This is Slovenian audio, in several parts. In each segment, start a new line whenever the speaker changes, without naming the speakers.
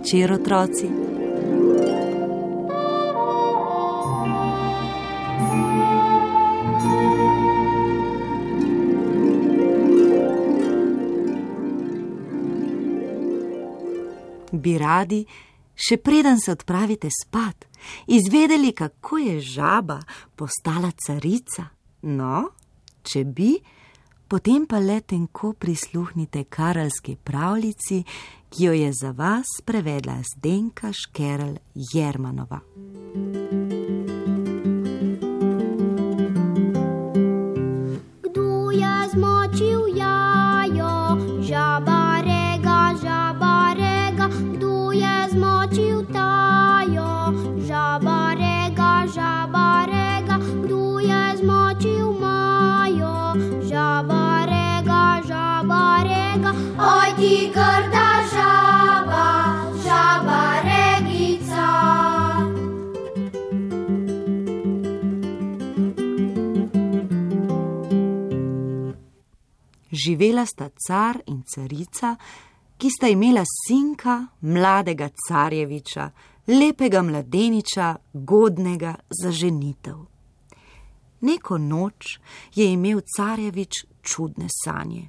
večer, otroci. Bi radi, še preden se odpravite spat, izvedeli, kako je žaba postala carica? No, če bi, potem pa le tenko prisluhnite karelski pravljici, ki jo je za vas prevedla Zdenka Škerl Jermanova.
Kdo je zmočil jajo? Žaba rega, kdo je zmočil tajo? Žaba rega, kdo je zmočil majo? Žaba rega, oj ti grda žaba regica.
Živela sta car in carica, ki sta imela sinka, mladega carjeviča, lepega mladeniča, godnega za ženitev. Neko noč je imel carjevič čudne sanje.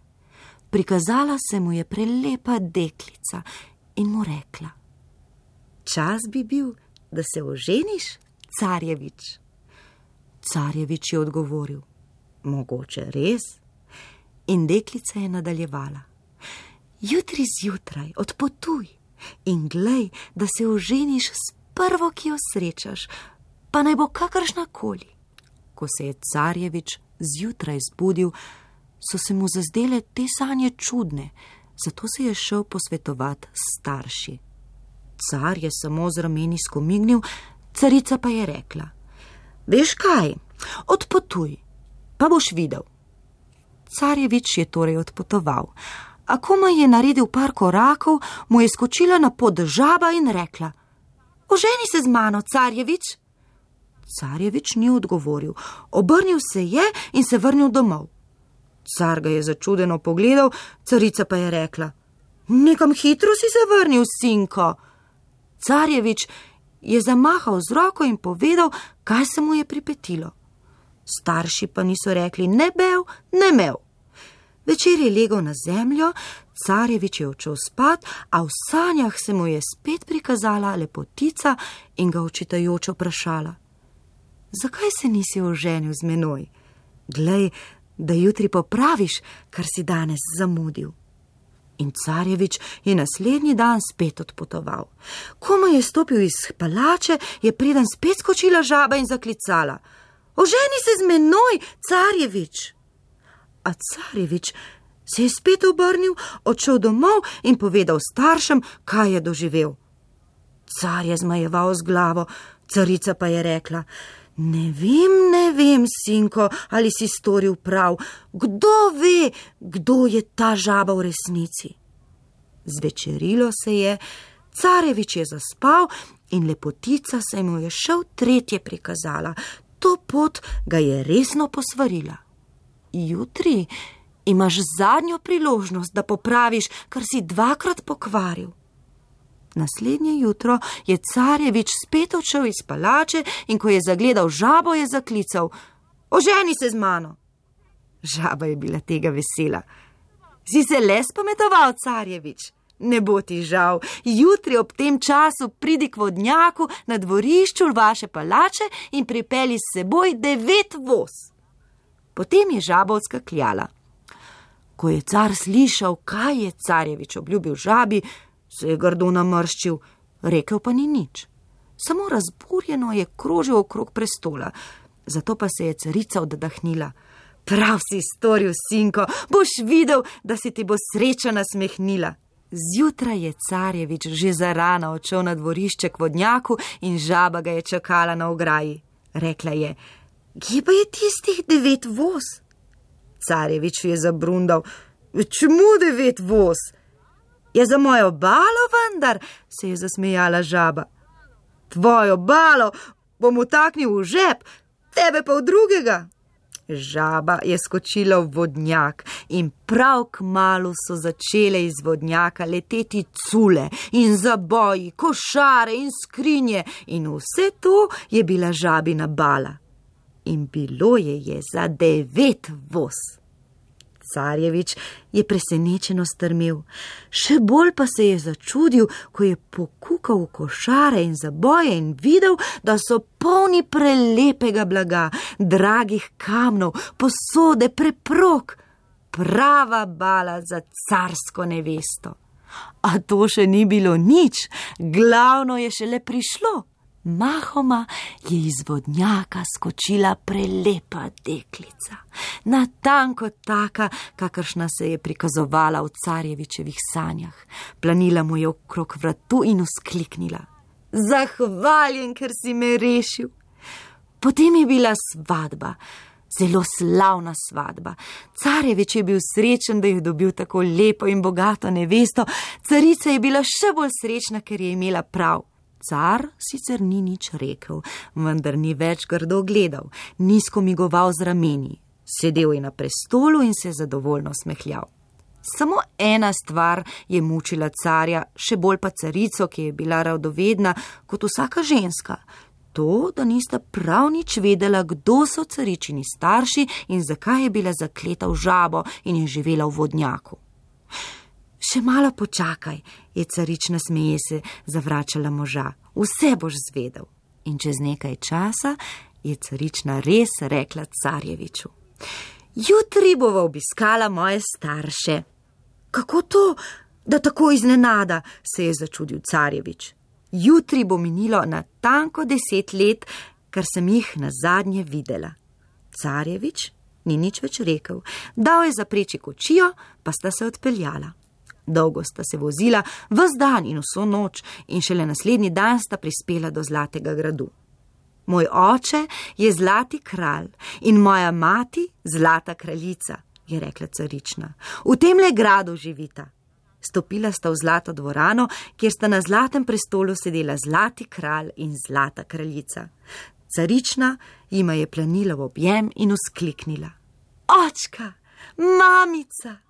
Prikazala se mu je prelepa deklica in mu rekla: čas bi bil, da se oženiš, carjevič. Carjevič je odgovoril: mogoče res. In deklica je nadaljevala: jutri zjutraj odpotuj in glej, da se oženiš s prvo, ki jo srečaš, pa naj bo kakršnakoli. Ko se je carjevič zjutraj zbudil, so se mu zazdele te sanje čudne, zato se je šel posvetovati s starši. Car je samo z rameni skomignil, carica pa je rekla: veš kaj, odpotuj, pa boš videl. Carjevič je torej odpotoval, a komaj je naredil par korakov, mu je skočila na pod žaba in rekla: oženi se z mano, carjevič. Carjevič ni odgovoril, obrnil se je in se vrnil domov. Car ga je začudeno pogledal, carica pa je rekla: nekam hitro si se vrnil, sinko. Carjevič je zamahal z roko in povedal, kaj se mu je pripetilo. Starši pa niso rekli ne bev, ne mev. Večer je legel na zemljo, carjevič je odšel spat, a v sanjah se mu je spet prikazala lepotica in ga očitajoče vprašala: zakaj se nisi oženil z menoj? Glej, da jutri popraviš, kar si danes zamudil. In carjevič je naslednji dan spet odpotoval. Komaj je stopil iz palače, je preden spet skočila žaba in zaklicala: oženi se z menoj, carjevič. A carjevič se je spet obrnil, odšel domov in povedal staršem, kaj je doživel. Car je zmajeval z glavo, carica pa je rekla: ne vem, sinko, ali si storil prav. Kdo ve, kdo je ta žaba v resnici? Zvečerilo se je, carjevič je zaspal in lepotica se mu je še tretje prikazala. To pot ga je resno posvarila: jutri imaš zadnjo priložnost, da popraviš, kar si dvakrat pokvaril. Naslednje jutro je carjevič spet odšel iz palače in ko je zagledal žabo, je zaklical: oženi se z mano. Žaba je bila tega vesela. Si se le spametoval, carjevič? Ne bo ti žal, jutri ob tem času pridi k vodnjaku na dvorišču vaše palače in pripelji s seboj 9 voz. Potem je žaba odskakljala. Ko je car slišal, kaj je carjevič obljubil žabi, se je grdo namrščil, rekel pa ni nič. Samo razburjeno je krožil okrog prestola, zato pa se je carica oddahnila: prav si storil, sinko, boš videl, da se ti bo sreča nasmehnila. Zjutraj je carjevič že zarana odšel na dvorišče k vodnjaku in žaba ga je čakala na ograji. Rekla je: kje pa je tistih 9 voz? Carjevič je zabrundal: čemu 9 voz? Je za mojo balo vendar, se je zasmejala žaba. Tvojo balo bom vtaknil v žep, tebe pa v drugega. Žaba je skočila v vodnjak in prav kmalu so začele iz vodnjaka leteti cule in zaboji, košare in skrinje in vse to je bila žabina bala. In bilo je za 9 voz. Carjevič je presenečeno strmel, še bolj pa se je začudil, ko je pokukal v košare in zaboje in videl, da so polni prelepega blaga, dragih kamnov, posode, preprog, prava bala za carsko nevesto. A to še ni bilo nič, glavno je šele prišlo. Mahoma je iz vodnjaka skočila prelepa deklica, natanko taka, kakršna se je prikazovala v Carjevičevih sanjah. Planila mu je okrog vratu in vzkliknila: Zahvaljen, ker si me rešil. Potem je bila svadba, zelo slavna svadba. Carjevič je bil srečen, da je dobil tako lepo in bogato nevesto, carica je bila še bolj srečna, ker je imela prav. Car sicer ni nič rekel, vendar ni več grdo gledal, nizko migoval z rameni. Sedel je na prestolu in se zadovoljno smehljal. Samo ena stvar je mučila carja, še bolj pa carico, ki je bila radovedna kot vsaka ženska. To, da nista prav nič vedela, kdo so caričini starši in zakaj je bila zakleta v žabo in je živela v vodnjaku. Še malo počakaj, je carična smeje se zavračala moža. Vse boš zvedel. In čez nekaj časa je carična res rekla Carjeviču: Jutri bova obiskala moje starše. Kako to, da tako iznenada, se je začudil Carjevič. Jutri bo minilo natanko 10 let, kar sem jih nazadnje videla. Carjevič ni nič več rekel, dal je zapreči kočijo, pa sta se odpeljala. Dolgo sta se vozila, ves dan in vso noč, in šele naslednji dan sta prispela do Zlatega gradu. Moj oče je Zlati kralj in moja mati Zlata kraljica, je rekla carična. V temle gradu živita. Stopila sta v zlato dvorano, kjer sta na zlatem prestolu sedela Zlati kralj in Zlata kraljica. Carična jima je planila v objem in vzkliknila: Očka, mamica!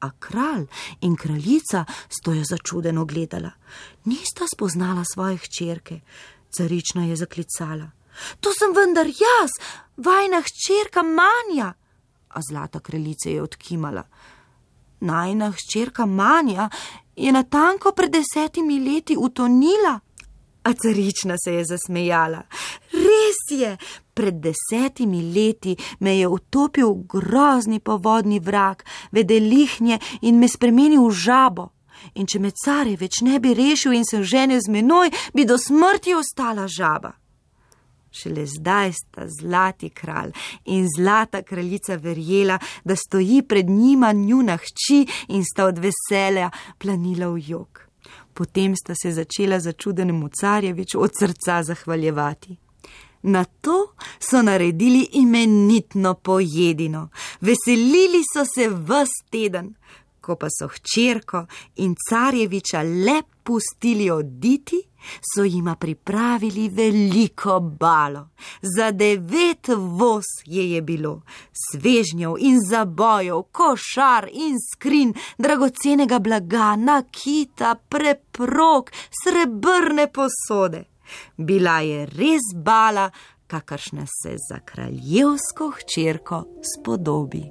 A kralj in kraljica sta jo začudeno gledala. Nista spoznala svoje hčerke. Carična je zaklicala: To sem vendar jaz, vajna hčerka Manja. A Zlata kraljica je odkimala: Najina hčerka Manja je natanko pred 10 leti utonila. A carična se je zasmejala: Res je, pred 10 leti me je utopil grozni povodni vrak, vedelihnje in me spremenil v žabo. In če me Carjevič ne bi rešil in se ženil z menoj, bi do smrti ostala žaba. Šele zdaj sta Zlati kralj in Zlata kraljica verjela, da stoji pred njima njuna hči, in sta od veselja planila v jok. Potem sta se začela začudenemu Carjeviču od srca zahvaljevati. Na to so naredili imenitno pojedino. Veselili so se ves teden. Ko pa so hčerko in Carjeviča le pustili oditi, so jima pripravili veliko balo. Za 9 voz je bilo, svežnjev in zabojev, košar in skrin, dragocenega blaga, nakita, preprog, srebrne posode. Bila je res bala, kakršna se za kraljevsko hčerko spodobi.